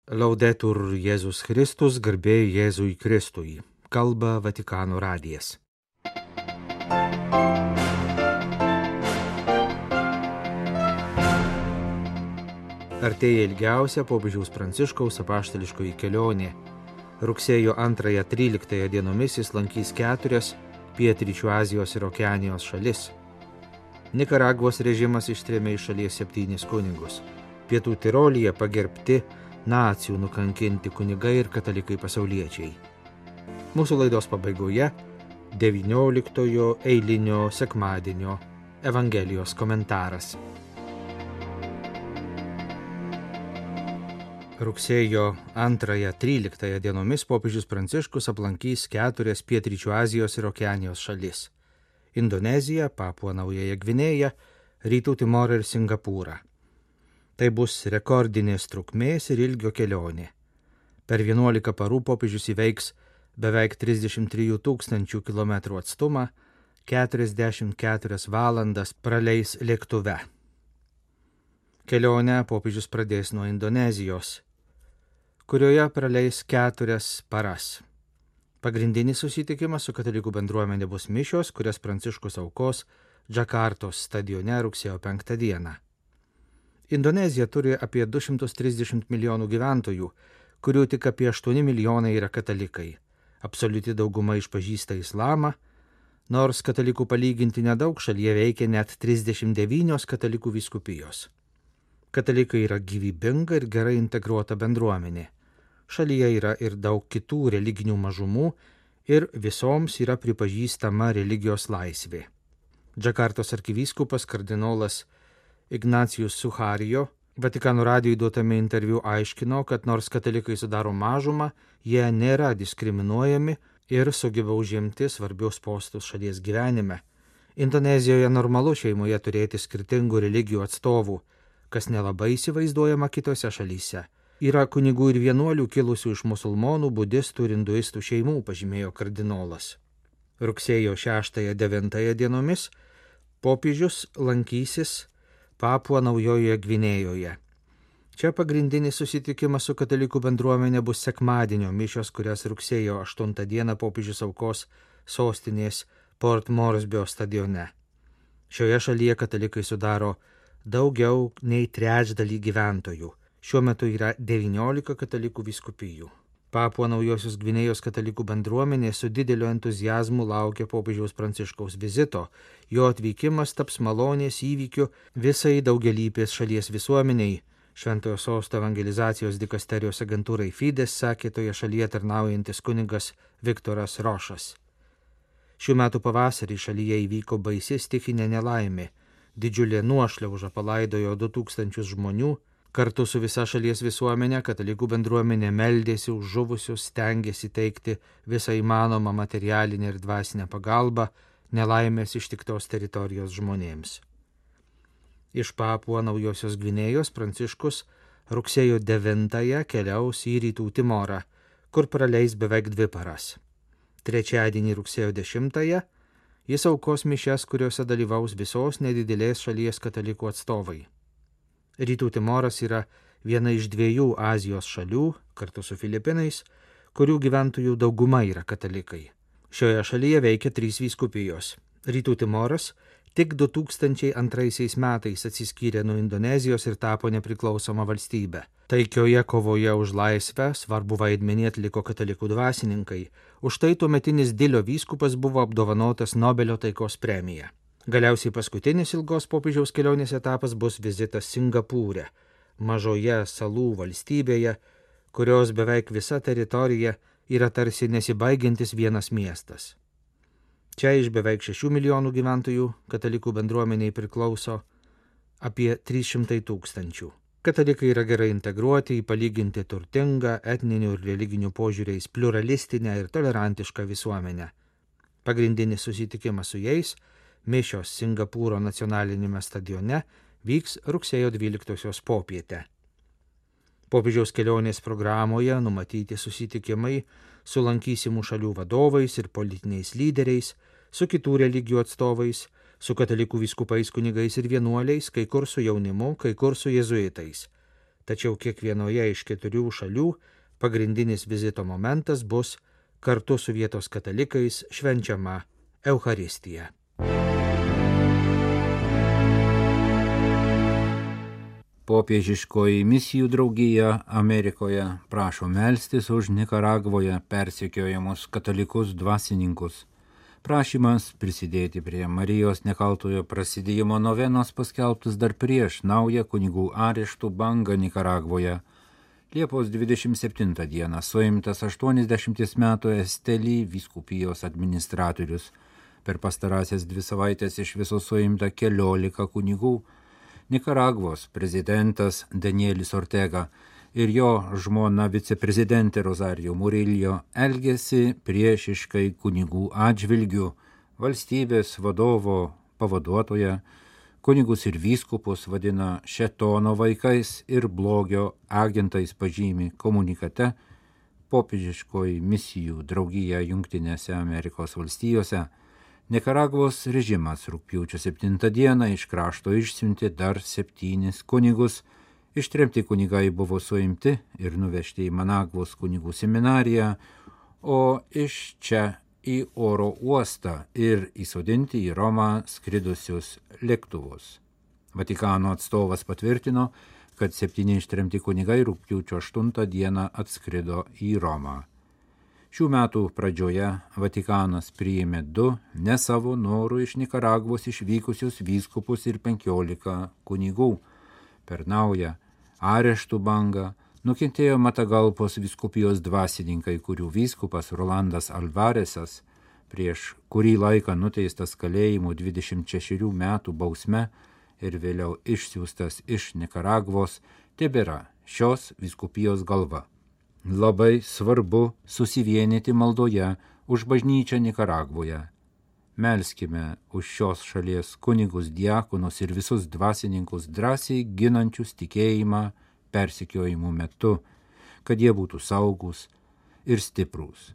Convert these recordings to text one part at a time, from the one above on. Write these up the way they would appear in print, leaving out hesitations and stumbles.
Laudetur Jėzus Kristus, garbė Jėzui Kristui. Kalba Vatikano radijas. Artėja ilgiausia popiežiaus Pranciškaus apaštališkoji kelionė. Rugsėjo 2-13 dienomis jis lankys 4 pietryčių Azijos ir Okeanijos šalis. Nikaragvos režimas ištrėmė iš šalies 7 kunigus. Pietų Tirolyje pagerbti nacių nukankinti kunigai ir katalikai pasauliečiai. Mūsų laidos pabaigoje 19 eilinio sekmadienio Evangelijos komentaras. Rugsėjo 2-13 dienomis popiežius Pranciškus aplankys 4 pietryčių Azijos ir Okeanijos šalis – Indoneziją, Papua Naująją Gvinėją, Rytų Timorą ir Singapūrą. Tai bus rekordinės trukmės ir ilgio kelionė. Per 11 parų popiežius įveiks beveik 33 000 km atstumą, 44 valandas praleis lėktuve. Kelionę popiežius pradės nuo Indonezijos, kurioje praleis 4 paras. Pagrindinis susitikimas su katalikų bendruomenė bus mišios, kurias Pranciškus aukos Džakartos stadione rugsėjo 5 dieną. Indonezija turi apie 230 milijonų gyventojų, kurių tik apie 8 milijonai yra katalikai. Absoliuti dauguma išpažįsta islamą, nors katalikų palyginti nedaug, šalyje veikia net 39 katalikų vyskupijos. Katalikai yra gyvybinga ir gerai integruota bendruomenė. Šalyje yra ir daug kitų religinių mažumų ir visoms yra pripažįstama religijos laisvė. Džakartos arkivyskupas kardinolas Ignacijus Suharijo Vatikano radijui duotame interviu aiškino, kad nors katalikai sudaro mažumą, jie nėra diskriminuojami ir sugeba užimti svarbius postus šalies gyvenime. Indonezijoje normalu šeimoje turėti skirtingų religijų atstovų, kas nelabai įsivaizduojama kitose šalyse. Yra kunigų ir vienuolių kilusių iš musulmonų, budistų ir hinduistų šeimų, pažymėjo kardinolas. Rugsėjo 6-9 dienomis popiežius lankysis Papua Naujojoje Gvinėjoje. Čia pagrindinis susitikimas su katalikų bendruomenė bus sekmadienio mišios, kurias rugsėjo 8 dieną popiežius aukos sostinės Port Moresby stadione. Šioje šalyje katalikai sudaro daugiau nei trečdalį gyventojų. Šiuo metu yra 19 katalikų vyskupijų. Papua Naujosios Gvinėjos katalikų bendruomenė su dideliu entuziazmu laukia popiežiaus Pranciškaus vizito. Jo atvykimas taps malonės įvykiu visai daugialypės šalies visuomeniai. Šventojo Sosto evangelizacijos dikasterijos agentūrai Fides sakė toje šalyje tarnaujantis kunigas Viktoras Rošas. Šių metų pavasarį šalyje įvyko baisi stichinė nelaimė. Didžiulė nuošliauža palaidojo 2000 žmonių. Kartu su visa šalies visuomenė katalikų bendruomenė meldėsi už žuvusius, stengėsi teikti visą įmanomą materialinę ir dvasinę pagalbą nelaimės ištiktos teritorijos žmonėms. Iš Papua Naujosios Gvinėjos Pranciškus rugsėjo 9 keliaus į Rytų Timorą, kur praleis beveik 2 paras. Trečiadienį rugsėjo 10 jis aukos mišias, kuriuose dalyvaus visos nedidelės šalies katalikų atstovai. Rytų Timoras yra viena iš 2 Azijos šalių, kartu su Filipinais, kurių gyventojų dauguma yra katalikai. Šioje šalyje veikia 3 vyskupijos. Rytų Timoras tik 2002 metais atsiskyrė nuo Indonezijos ir tapo nepriklausoma valstybė. Taikioje kovoje už laisvę svarbu vaidmenį atliko katalikų dvasininkai. Už tai tuometinis Dilio vyskupas buvo apdovanotas Nobelio taikos premija. Galiausiai paskutinis ilgos popiežiaus kelionės etapas bus vizitas Singapūre, mažoje salų valstybėje, kurios beveik visa teritorija yra tarsi nesibaigiantis vienas miestas. Čia iš beveik 6 milijonų gyventojų katalikų bendruomeniai priklauso apie 300 000. Katalikai yra gerai integruoti į palyginti turtingą etninių ir religinių požiūriais pluralistinę ir tolerantišką visuomenę. Pagrindinis susitikimas su jais mišios Singapūro nacionalinėme stadione vyks rugsėjo 12 popietę. Popiežiaus kelionės programoje numatyti susitikimai su lankysimų šalių vadovais ir politiniais lyderiais, su kitų religijų atstovais, su katalikų vyskupais, kunigais ir vienuoliais, kai kur su jaunimu, kai kur su jėzuitais. tačiau kiekvienoje iš 4 šalių pagrindinis vizito momentas bus kartu su vietos katalikais švenčiama Eucharistija. Popiežiškoji misijų draugija Amerikoje prašo melstis už Nikaragvoje persekiojamus katalikus dvasininkus. Prašymas prisidėti prie Marijos nekaltojo prasidėjimo novenos paskelbtas dar prieš naują kunigų areštų bangą Nikaragvoje. Liepos 27 dieną suimtas 80 metų Estelį vyskupijos administratorius. Per pastarąsias 2 savaitės iš viso suimta 14 kunigų. Nikaragvos prezidentas Danielis Ortega ir jo žmona viceprezidentė Rosario Murillo elgėsi priešiškai kunigų atžvilgių. Valstybės vadovo pavaduotoja kunigus ir vyskupus vadina šėtono vaikais ir blogio agentais, pažymi komunikate popiežiškoji misijų draugija Jungtinėse Amerikos valstijose. Nikaragvos režimas rugpjūčio 7 dieną iš krašto išsiuntė dar 7 kunigus. Ištremti kunigai buvo suimti ir nuvežti į Managvos kunigų seminariją, o iš čia į oro uostą ir įsodinti į Romą skridusius lėktuvus. Vatikano atstovas patvirtino, kad 7 ištremti kunigai rugpjūčio 8 dieną atskrido į Romą. Šių metų pradžioje Vatikanas priėmė 2 ne savo norų iš Nikaragvos išvykusius vyskupus ir 15 kunigų. Per naują areštų bangą nukentėjo Matagalpos vyskupijos dvasininkai, kurių vyskupas Rolandas Alvaresas, prieš kurį laiką nuteistas kalėjimu 26 metų bausme ir vėliau išsiųstas iš Nikaragvos, tebėra šios vyskupijos galva. Labai svarbu susivienyti maldoje už bažnyčią Nikaragvoje. Melskime už šios šalies kunigus, diakonus ir visus dvasininkus drąsiai ginančius tikėjimą persekiojimų metu, kad jie būtų saugus ir stiprūs.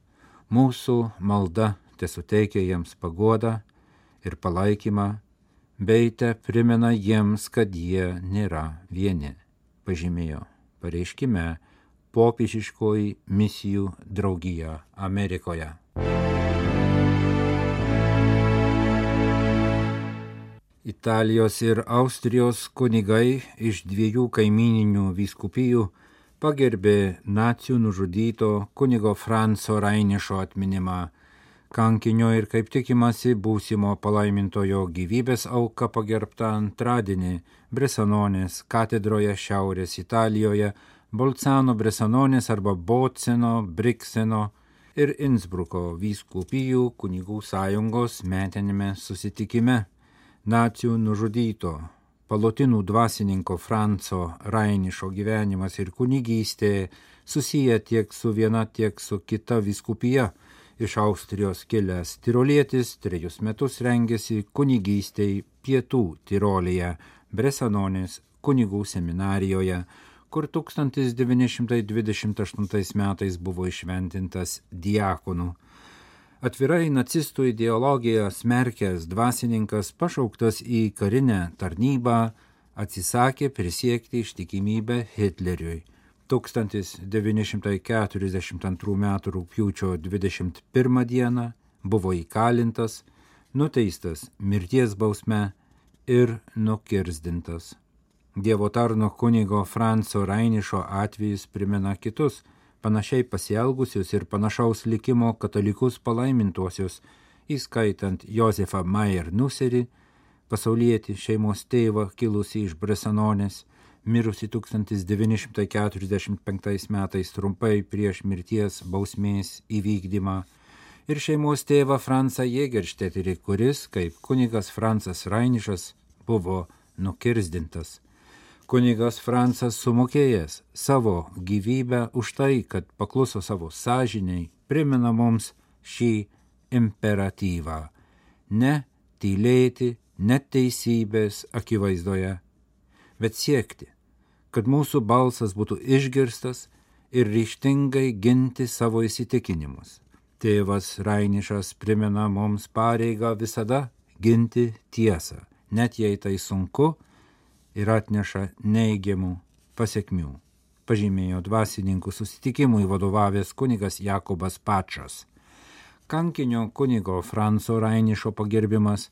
Mūsų malda tesuteikia jiems paguodą ir palaikymą, bei te primena jiems, kad jie nėra vieni, pažymėjo pareiškime popiežiškoji misijų draugija Amerikoje. Italijos ir Austrijos kunigai iš 2 kaimyninių vyskupijų pagerbė nacių nužudyto kunigo Franco Rainišo atminimą. Kankinio ir, kaip tikimasi, būsimo palaimintojo gyvybės auka pagerbta antradienį Bresanonės katedroje Šiaurės Italijoje, Bolzano Bresanonės arba Boceno, Brikseno ir Innsbruko vyskupijų kunigų sąjungos metinėme susitikime. Nacių nužudyto palotinų dvasininko Franco Rainišo gyvenimas ir kunigystė susiję tiek su viena, tiek su kita vyskupija. Iš Austrijos kilęs tirolietis 3 metus rengėsi kunigystei Pietų Tirolėje, Bresanonės kunigų seminarijoje, kur 1928 metais buvo išventintas diakonu. Atvirai nacistų ideologiją smerkęs dvasininkas, pašauktas į karinę tarnybą, atsisakė prisiekti ištikimybę Hitleriui. 1942 m. rugpjūčio 21 dieną buvo įkalintas, nuteistas mirties bausme ir nukirzdintas. Dievo tarno kunigo Franco Rainišo atvejis primena kitus, panašiai pasielgusius ir panašaus likimo katalikus palaimintuosius, įskaitant Josefą Mayer Nuserį, pasaulietį šeimos tėvą kilusį iš Bresanonės, mirusi 1945 metais trumpai prieš mirties bausmės įvykdymą, ir šeimos tėvą Francą Jėgeršteterį, kuris, kaip kunigas Francas Rainišas, buvo nukirzdintas. Kunigas Francas sumokėjęs savo gyvybę už tai, kad pakluso savo sąžiniai, primena mums šį imperatyvą – ne tylėti neteisybės akivaizdoje, bet siekti, kad mūsų balsas būtų išgirstas ir ryžtingai ginti savo įsitikinimus. Tėvas Rainišas primena mums pareigą visada ginti tiesą, net jei tai sunku ir atneša neigiamų pasekmių. pažymėjo dvasininkų susitikimui vadovavęs kunigas Jakobas Pačas. Kankinio kunigo Franco Rainišo pagerbimas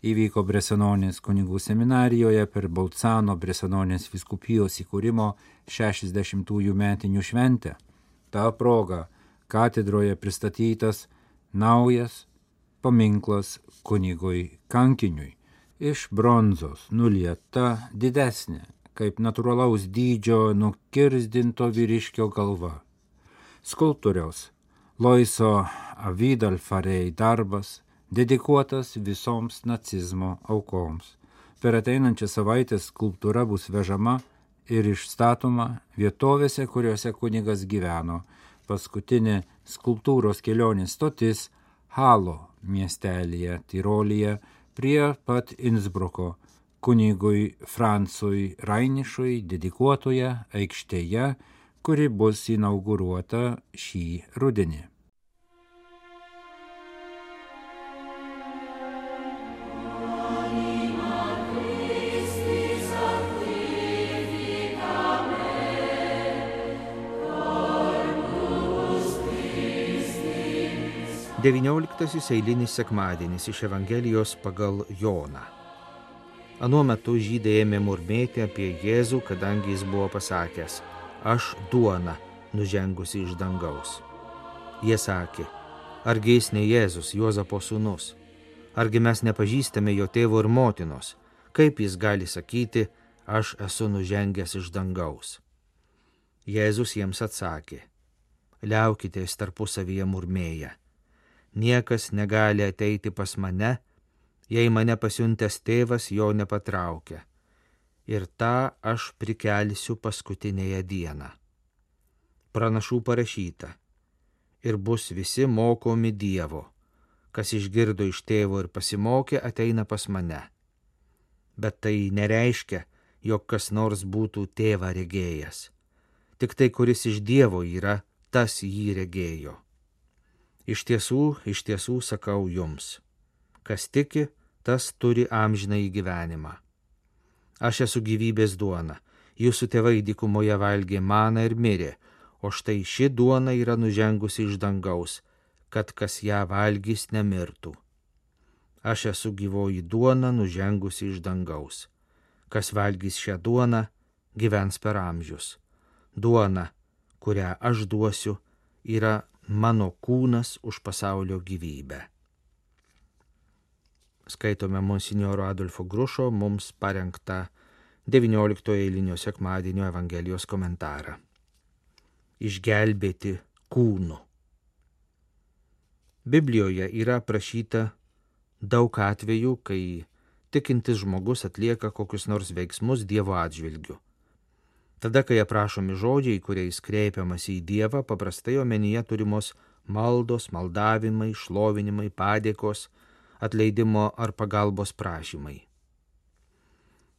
įvyko Bresanonės kunigų seminarijoje per Bolcano Bresanonės vyskupijos įkūrimo 60-ųjų metinių šventę. Ta proga katedroje pristatytas naujas paminklas kunigui kankiniui. Iš bronzos nulieta didesnė, kaip natūralaus dydžio nukirzdinto vyriškio galva. Skulptoriaus Loiso Avidalfarei darbas dedikuotas visoms nacizmo aukoms. Per ateinančią savaitę skulptūra bus vežama ir išstatoma vietovėse, kuriuose kunigas gyveno. Paskutinė skulptūros kelionės stotis Halo miestelyje Tirolyje prie pat Innsbruko kunigui Francui Rainišui dedikuotoje aikštėje, kuri bus inauguruota šį rudenį. XIX eilinis sekmadienis iš Evangelijos pagal Joną. Anuo metu žydai ėmė murmėti apie Jėzų, kadangi jis buvo pasakęs: aš duona nužengusi iš dangaus. Jie sakė: argi jis ne Jėzus, Juozapo sūnus? Argi mes nepažįstame jo tėvo ir motinos? Kaip jis gali sakyti: aš esu nužengęs iš dangaus? Jėzus jiems atsakė: liaukitės tarpusavyje murmėję. Niekas negali ateiti pas mane, jei mane pasiuntęs tėvas jo nepatraukia. Ir tą aš prikelsiu paskutinėje dieną. Pranašų parašyta: ir bus visi mokomi Dievo. Kas išgirdo iš tėvo ir pasimokė, ateina pas mane. Bet tai nereiškia, jog kas nors būtų tėvą regėjęs. Tik tai, kuris iš Dievo yra, tas jį regėjo. Iš tiesų sakau jums, kas tiki, tas turi amžinąjį gyvenimą. Aš esu gyvybės duona, jūsų tėvai dykumoje valgė maną ir mirė, o štai ši duona yra nužengusi iš dangaus, kad kas ją valgys nemirtų. Aš esu gyvoji duona nužengusi iš dangaus. Kas valgys šią duoną, gyvens per amžius. Duona, kurią aš duosiu, yra mano kūnas už pasaulio gyvybę. Skaitome monsinjoro Adolfo Grušo mums parengtą 19 eilinio sekmadienio Evangelijos komentarą. Išgelbėti kūnu. Biblijoje yra aprašyta daug atvejų, kai tikintis žmogus atlieka kokius nors veiksmus Dievo atžvilgiu. Tada, kai aprašomi žodžiai, kuriais kreipiamasi į Dievą, paprastai omenyje turimos maldos, maldavimai, šlovinimai, padėkos, atleidimo ar pagalbos prašymai.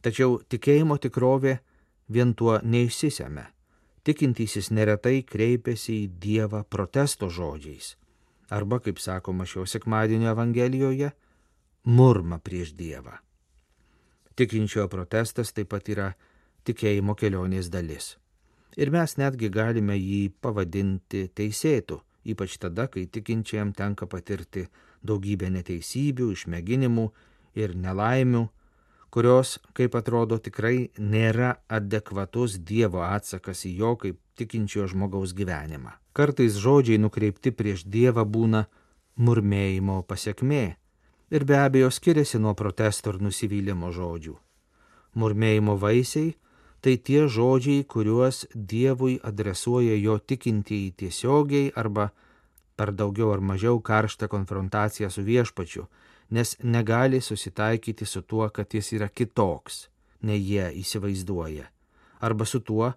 Tačiau tikėjimo tikrovė vien tuo neišsisemia. Tikintysis neretai kreipiasi į Dievą protesto žodžiais, arba, kaip sakoma šio sekmadienio Evangelijoje, murma prieš Dievą. Tikinčiojo protestas taip pat yra tikėjimo kelionės dalis. Ir mes netgi galime jį pavadinti teisėtu, ypač tada, kai tikinčiajam tenka patirti daugybę neteisybių, išmėginimų ir nelaimių, kurios, kaip atrodo, tikrai nėra adekvatus Dievo atsakas į jo kaip tikinčiojo žmogaus gyvenimą. Kartais žodžiai nukreipti prieš Dievą būna murmėjimo pasekmė ir be abejo skiriasi nuo protesto ir nusivylimo žodžių. Murmėjimo vaisiai tai tie žodžiai, kuriuos Dievui adresuoja jo tikintieji tiesiogiai arba per daugiau ar mažiau karštą konfrontaciją su viešpačiu, nes negali susitaikyti su tuo, kad jis yra kitoks, nei jie įsivaizduoja, arba su tuo,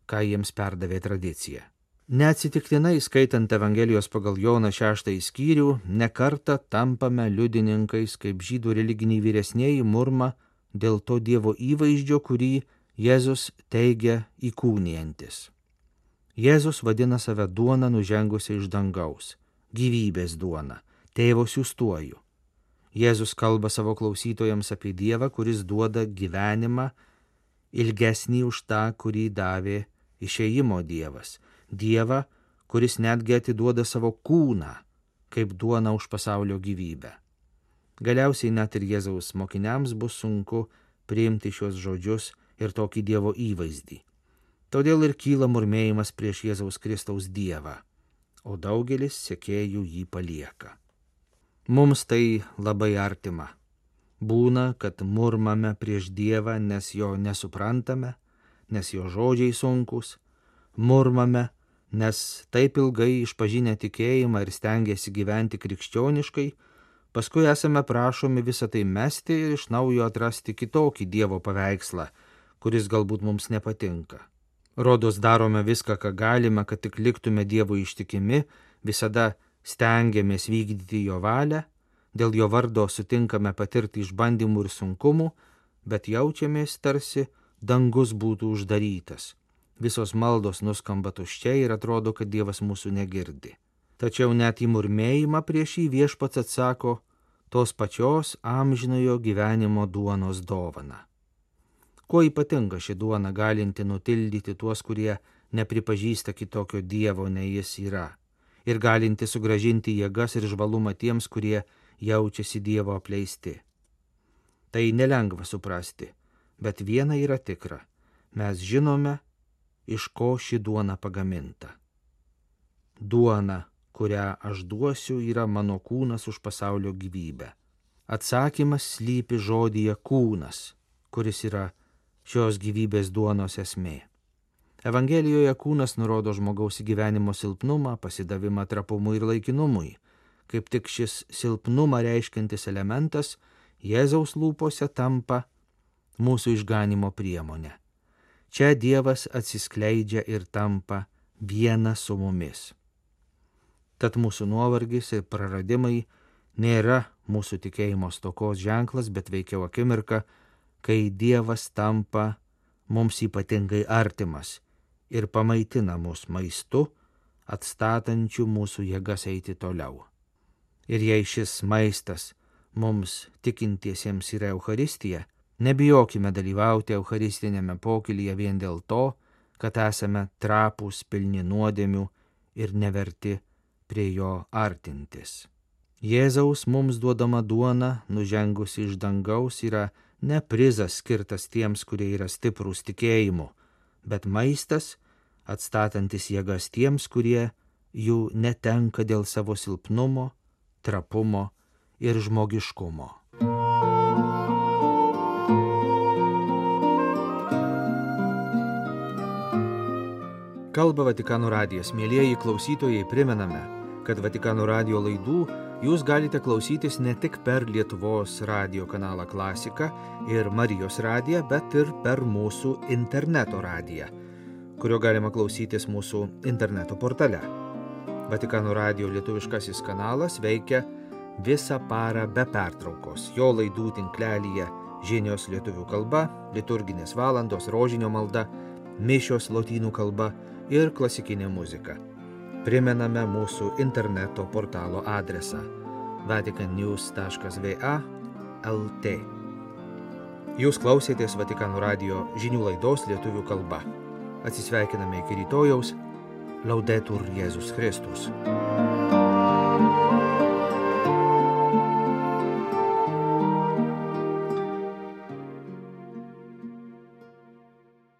ką jiems perdavė tradicija. Neatsitiktinai, skaitant Evangelijos pagal Joną 6 skyrių, nekartą tampame liudininkais, kaip žydų religiniai vyresnieji murma dėl to Dievo įvaizdžio, kurį Jėzus teigia įkūnijantis. Jėzus vadina save duona nužengusia iš dangaus, gyvybės duona, tėvo siųstuoju. Jėzus kalba savo klausytojams apie Dievą, kuris duoda gyvenimą ilgesnį už tą, kurį davė išėjimo Dievas, Dievą, kuris netgi atiduoda savo kūną, kaip duona už pasaulio gyvybę. Galiausiai net ir Jėzaus mokiniams bus sunku priimti šios žodžius ir tokį Dievo įvaizdį. Todėl ir kyla murmėjimas prieš Jėzaus Kristaus Dievą, o daugelis sekėjų jį palieka. Mums tai labai artima. Būna, kad murmame prieš Dievą, nes jo nesuprantame, nes jo žodžiai sunkus, murmame, nes taip ilgai išpažinę tikėjimą ir stengiasi gyventi krikščioniškai, paskui esame prašomi visą tai mesti ir iš naujo atrasti kitokį Dievo paveikslą, kuris galbūt mums nepatinka. Rodos darome viską, ką galime, kad tik liktume Dievui ištikimi, visada stengiamės vykdyti jo valią, dėl jo vardo sutinkame patirti išbandymų ir sunkumų, bet jaučiamės tarsi dangus būtų uždarytas. Visos maldos nuskamba tuščiai ir atrodo, kad Dievas mūsų negirdi. Tačiau net į murmėjimą prieš jį Viešpats atsako tos pačios amžinojo gyvenimo duonos dovana. Kuo ypatinga ši duona galinti nutildyti tuos, kurie nepripažįsta kitokio Dievo nei jis yra, ir galinti sugrąžinti jėgas ir žvalumą tiems, kurie jaučiasi Dievo apleisti. Tai nelengva suprasti, bet viena yra tikra. Mes žinome, iš ko ši duona pagaminta. Duona, kurią aš duosiu, yra mano kūnas už pasaulio gyvybę. Atsakymas slypi žodyje kūnas, kuris yra šios gyvybės duonos esmė. Evangelijoje kūnas nurodo žmogaus gyvenimo silpnumą, pasidavimą trapumui ir laikinumui. Kaip tik šis silpnumą reiškiantis elementas Jėzaus lūpose tampa mūsų išganimo priemonė. Čia Dievas atsiskleidžia ir tampa viena su mumis. Tad mūsų nuovargis ir praradimai nėra mūsų tikėjimo stokos ženklas, bet veikiau akimirka, kai Dievas tampa mums ypatingai artimas ir pamaitina mus maistu, atstatančiu mūsų jėgas eiti toliau. Ir jei šis maistas mums tikintiesiems yra Eucharistija, nebijokime dalyvauti eucharistinėme pokylyje vien dėl to, kad esame trapūs, pilni nuodėmių ir neverti prie jo artintis. Jėzaus mums duodama duona, nužengusi iš dangaus, yra ne prizas skirtas tiems, kurie yra stiprūs tikėjimu, bet maistas, atstatantis jėgas tiems, kurie jų netenka dėl savo silpnumo, trapumo ir žmogiškumo. Kalba Vatikano radijas. Mielieji klausytojai, primename, kad Vatikano radijo laidų jūs galite klausytis ne tik per Lietuvos radijo kanalą Klasika ir Marijos radiją, bet ir per mūsų interneto radiją, kurio galima klausytis mūsų interneto portale. Vatikano radijo lietuviškasis kanalas veikia visą parą be pertraukos. Jo laidų tinklelyje žinios lietuvių kalba, liturginės valandos, rožinio malda, mišios lotynų kalba ir klasikinė muzika. Primename mūsų interneto portalo adresą vaticannews.va/lt. Jūs klausėtės Vatikano radijo žinių laidos lietuvių kalba. Atsisveikiname iki rytojaus. Laudetur Jėzus Kristus.